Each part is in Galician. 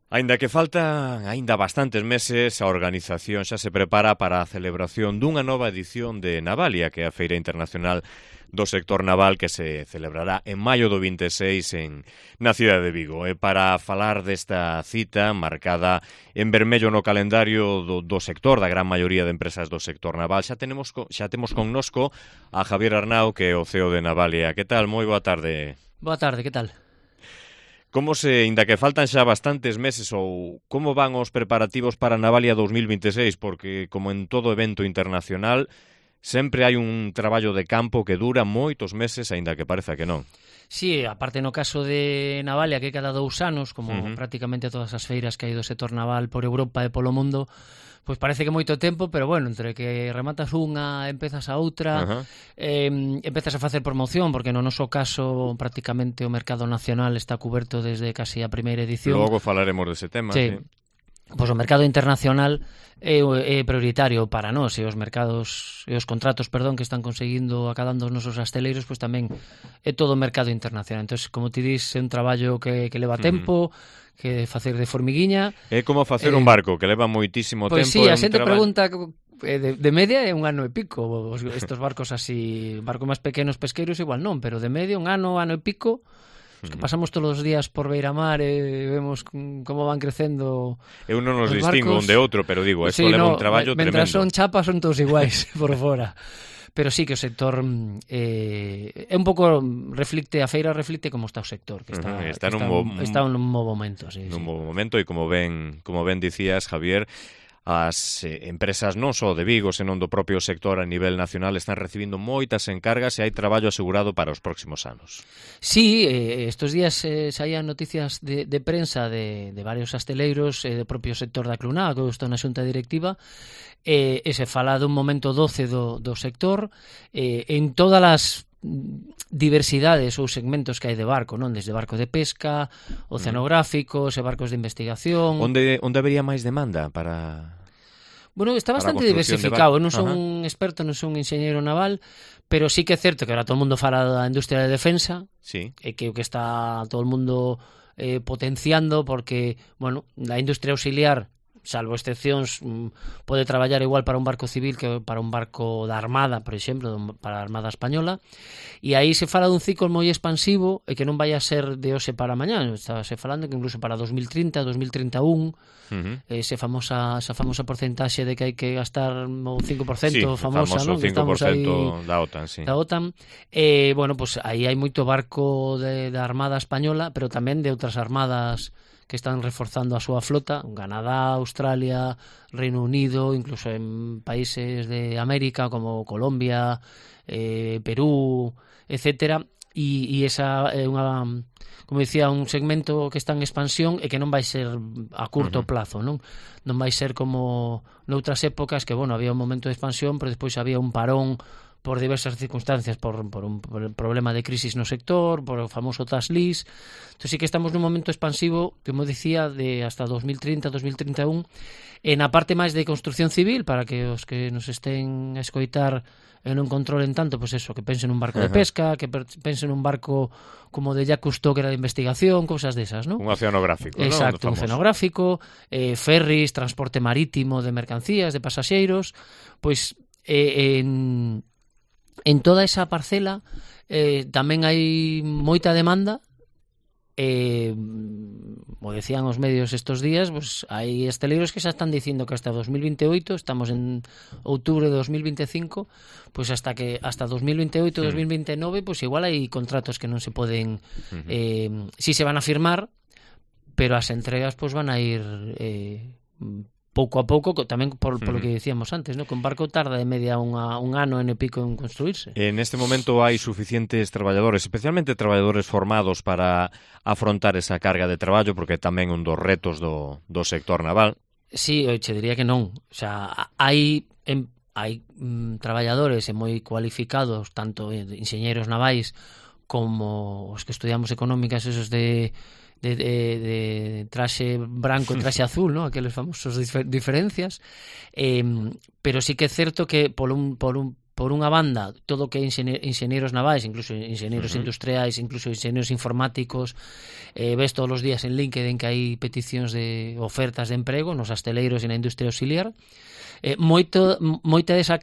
Aínda que faltan aínda bastantes meses, a organización xa se prepara para a celebración dunha nova edición de Navalia, que é a Feira Internacional do Sector Naval que se celebrará en maio do 26 na cidade de Vigo. E para falar desta cita marcada en vermello no calendario do sector, da gran maioría de empresas do sector naval, xa temos connosco a Javier Arnau, que é o CEO de Navalia. Que tal? Moi boa tarde. Boa tarde, que tal? Inda que faltan xa bastantes meses, ou como van os preparativos para Navalia 2026? Porque, como en todo evento internacional, sempre hai un traballo de campo que dura moitos meses, aínda que pareza que non. Sí, aparte no caso de Navalia, que cada 2 anos, como prácticamente todas as feiras que hai do sector naval por Europa e polo mundo, pois parece que moito tempo, pero bueno, entre que rematas unha, empezas a outra, empezas a facer promoción, porque no noso caso prácticamente o mercado nacional está cuberto desde casi a primeira edición. Logo falaremos dese tema, sí. Pois o mercado internacional é prioritario para nós, e os mercados e os contratos, que están conseguindo acadando os nosos asteleiros, pois tamén é todo o mercado internacional. Entón, como ti dis, é un traballo que leva tempo, que facer de formiguiña. É como facer un barco, que leva moitísimo tempo. Pois sí, a xente pregunta, de media é un ano e pico. Estos barcos así, barcos máis pequenos pesqueiros igual non, pero de media un ano e pico. Os que pasamos todos os días por Beiramar e vemos como van crecendo. Eu non nos distingo un de outro, pero digo, eso leva un traballo tremendo. Mentras son chapas son todos iguais por fora. Pero sí que o sector é un pouco a feira reflicte como está o sector, que está nun bo momento, sí. Nun bo momento, e como ben dicías, Javier, as empresas non só de Vigo, senón do propio sector a nivel nacional están recibindo moitas encargas e hai traballo asegurado para os próximos anos. Sí, estes días saían noticias de prensa de varios asteleiros do propio sector da Cluná, que está na xunta directiva, e se fala dun momento doce do sector en todas as diversidades ou segmentos que hai de barco, non? Desde barco de pesca, oceanográficos e barcos de investigación. Onde habería máis demanda para... Bueno, está bastante diversificado. Non son un experto, non son un enxeñeiro naval, pero sí que é certo que ahora todo o mundo fala da industria de defensa, sí, e que o que está todo o mundo potenciando, porque, bueno, a industria auxiliar, salvo excepcións, pode traballar igual para un barco civil que para un barco da Armada, por exemplo, para a Armada Española, e aí se fala dun ciclo moi expansivo e que non vai a ser de hoxe para mañá. Estábase falando que incluso para 2030, 2031, esa famosa porcentaxe de que hai que gastar o 5%, sí, famosa, non? 5% da OTAN, sí. Da OTAN. Bueno, pues aí hai moito barco da Armada Española, pero tamén de outras armadas que están reforzando a súa flota, Canadá, Australia, Reino Unido, incluso en países de América como Colombia, Perú, etcétera, e esa é unha, como dicía, un segmento que está en expansión e que non vai ser a curto plazo, non vai ser como noutras épocas que, bueno, había un momento de expansión, pero despois había un parón por diversas circunstancias, por un problema de crisis no sector, por o famoso tax lease. Entón sí que estamos nun momento expansivo, como dicía, de hasta 2030, 2031, e na parte máis de construcción civil, para que os que nos estén a escoitar e non controlen tanto, pois eso, que pensen nun barco de pesca, que pensen nun barco como de Jacques Cousteau, que era de investigación, cousas desas, non? Un oceanográfico, non? Exacto, un oceanográfico, ferries, transporte marítimo de mercancías, de pasaxeiros, pois en toda esa parcela tamén hai moita demanda, como decían os medios estes días, pues hai esteleiros que xa están dicindo que hasta 2028, estamos en outubro de 2025, pues hasta 2028, 2029, pues igual hai contratos que non se poden, si se van a firmar, pero as entregas pues van a ir pouco a pouco, tamén por lo que dicíamos antes, ¿no? Que un barco tarda de media un ano e pico en construirse. En este momento hai suficientes traballadores, especialmente traballadores formados para afrontar esa carga de traballo, porque tamén un dos retos do sector naval. Sí, che diría que non. O sea, hai traballadores moi cualificados, tanto enxeñeiros navais como os que estudiamos económicas, esos de traxe branco e traxe azul, ¿no? Aqueles famosos diferencias, pero sí que é certo que por un por unha banda, todo que é enxeñeiros navais, incluso enxeñeiros industriais, incluso enxeñeiros informáticos, ves todos os días en LinkedIn que hai peticións de ofertas de emprego nos asteleiros e na industria auxiliar. Moita desa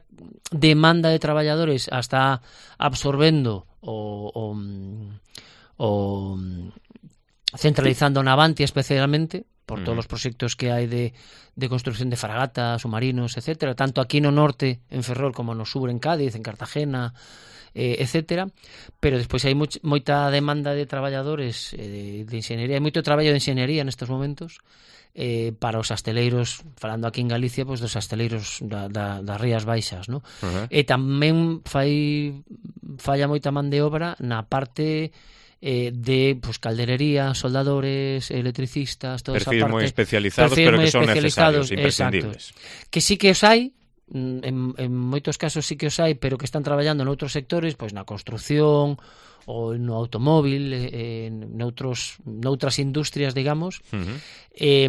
demanda de traballadores está absorbendo o centralizando na Avantia especialmente por todos os proxectos que hai de construcción de fragatas, submarinos, etcétera, tanto aquí no norte en Ferrol como no sur en Cádiz, en Cartagena, etcétera, pero despois hai moita demanda de traballadores de enxeñería, hai moito traballo de enxeñería nestes momentos para os asteleiros, falando aquí en Galicia, pois dos asteleiros das Rías Baixas, ¿no? E tamén falla moita man de obra na parte de pues, calderería, soldadores, electricistas, toda perfil esa parte. Moi especializados, pero que son necesarios, imprescindibles. Exacto. Que sí que os hai, en moitos casos sí que os hai, pero que están traballando noutros sectores, pois na construción, ou no automóvil, noutras industrias, digamos. E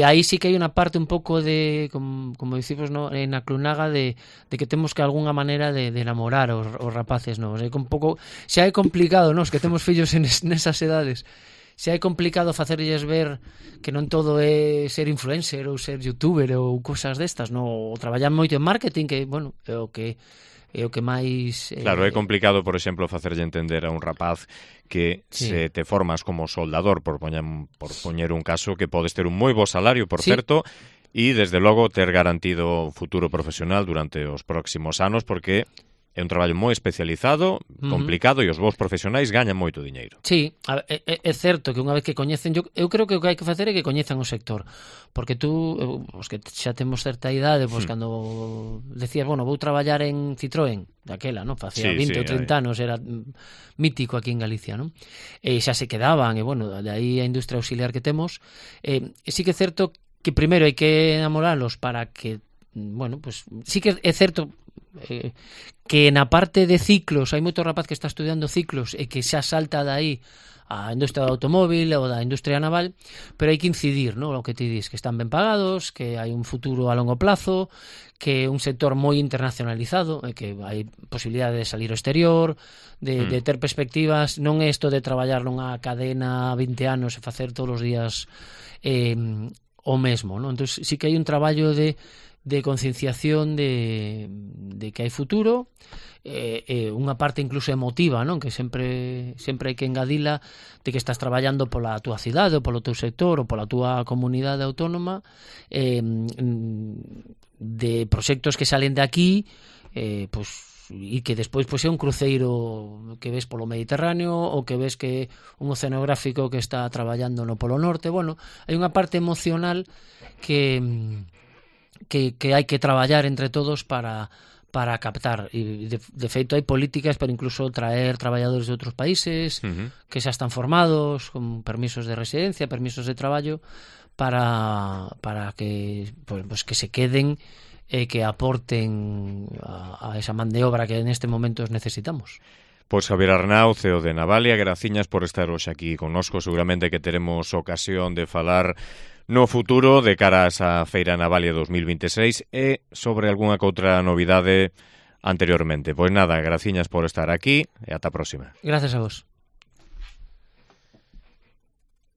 aí sí que hai unha parte un pouco de, como dicimos, no, na clunaga de que temos que alguna maneira de enamorar os rapaces, non? É un pouco, xa é complicado, nos que temos fillos nesas edades, xa é complicado facerlles ver que non todo é ser influencer ou ser youtuber ou cosas destas, non? Ou traballar moito en marketing, que, bueno, é o que máis... Claro, é complicado, por exemplo, facerlle entender a un rapaz que se te formas como soldador, por poñer un caso, que podes ter un moi bo salario, por certo, e, desde logo, ter garantido un futuro profesional durante os próximos anos, porque é un traballo moi especializado, complicado, e os vos profesionais gañan moito diñeiro. Sí, é certo que unha vez que coñecen, eu creo que o que hai que facer é que coñezan o sector, porque tú, os que xa temos certa idade, pois cando decías, bueno, vou traballar en Citroën, daquela, non? Facía 20 ou 30 anos, era mítico aquí en Galicia, non? E xa se quedaban, e bueno, de aí a industria auxiliar que temos. Sí que é certo que primeiro hai que enamoralos para que, bueno, pues sí que é certo que na parte de ciclos hai moito rapaz que está estudiando ciclos e que xa salta de aí a industria do automóvil ou da industria naval, pero hai que incidir, ¿no? O que ti dis, que están ben pagados, que hai un futuro a longo plazo, que é un sector moi internacionalizado, que hai posibilidade de salir ao exterior, de ter perspectivas, non é isto de traballar nunha cadena 20 anos e facer todos os días o mesmo, ¿no? Entón, sí que hai un traballo de concienciación de que hai futuro, unha parte incluso emotiva, non? Que sempre hai que engadila de que estás traballando pola túa cidade ou polo teu sector ou pola túa comunidade autónoma, de proxectos que salen de aquí, pois, e que despois pois é un cruceiro que ves polo Mediterráneo ou que ves que un oceanográfico que está traballando no Polo Norte. Bueno, hai unha parte emocional que hai que traballar entre todos para captar, e de feito hai políticas para incluso traer traballadores de outros países que xa están formados con permisos de residencia, permisos de traballo para que pues que se queden e que aporten a esa man de obra que neste momento necesitamos. Pois Javier Arnau, CEO de Navalia, graciñas por estar hoxe aquí connosco. Seguramente que teremos ocasión de falar no futuro de cara a esa Feira Navalia 2026 e sobre algunha outra novidade anteriormente. Pois nada, graciñas por estar aquí e ata a próxima. Gracias a vos.